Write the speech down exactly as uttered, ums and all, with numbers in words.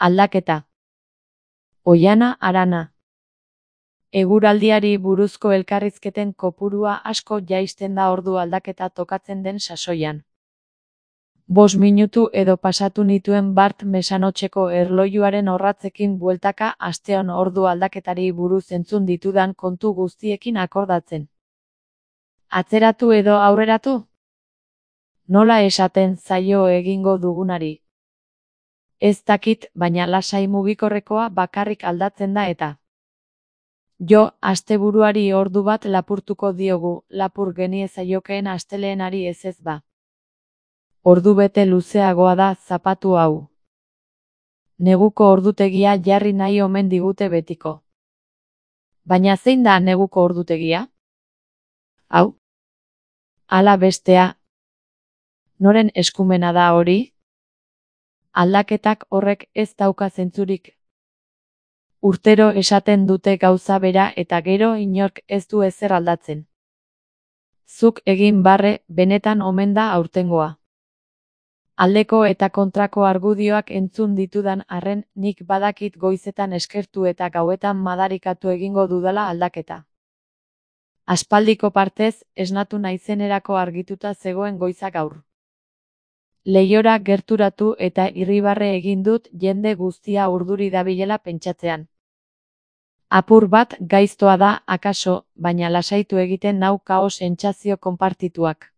Aldaketa. Oihana Arana. Eguraldiari buruzko elkarrizketen kopurua asko jaisten da ordu aldaketa tokatzen den sasoian. Bost minutu edo pasatu nituen bart mesanotxeko erlojuaren orratzekin bueltaka asteon ordu aldaketari buruz entzun ditudan kontu guztiekin akordatzen. Atzeratu edo aurreratu? Nola esaten zaio egingo dugunari? Ez dakit, baina lasai mugikorrekoa bakarrik aldatzen da eta. Jo, asteburuari ordu bat lapurtuko diogu, lapur geniezaiokeen asteleenari ez ez ba. Ordu bete luzeagoa da zapatu hau. Neguko ordutegia jarri nahi omen digute betiko. Baina zein da neguko ordutegia? Hau? Ala bestea. Noren eskumena da hori? Aldaketak horrek ez dauka zentzurik. Urtero esaten dute gauza bera eta gero inork ez du ezer aldatzen. Zuk egin barre, benetan omen da aurtengoa. Aldeko eta kontrako argudioak entzun ditudan arren, nik badakit goizetan eskertu eta gauetan madarikatu egingo dudala aldaketa. Aspaldiko partez, esnatu naizenerako argituta zegoen goiza gaur. Leihora gerturatu eta irribarre egin dut jende guztia urduri dabilela pentsatzean. Apur bat gaiztoa da, akaso, baina lasaitu egiten nau kaos sentsazio konpartituak.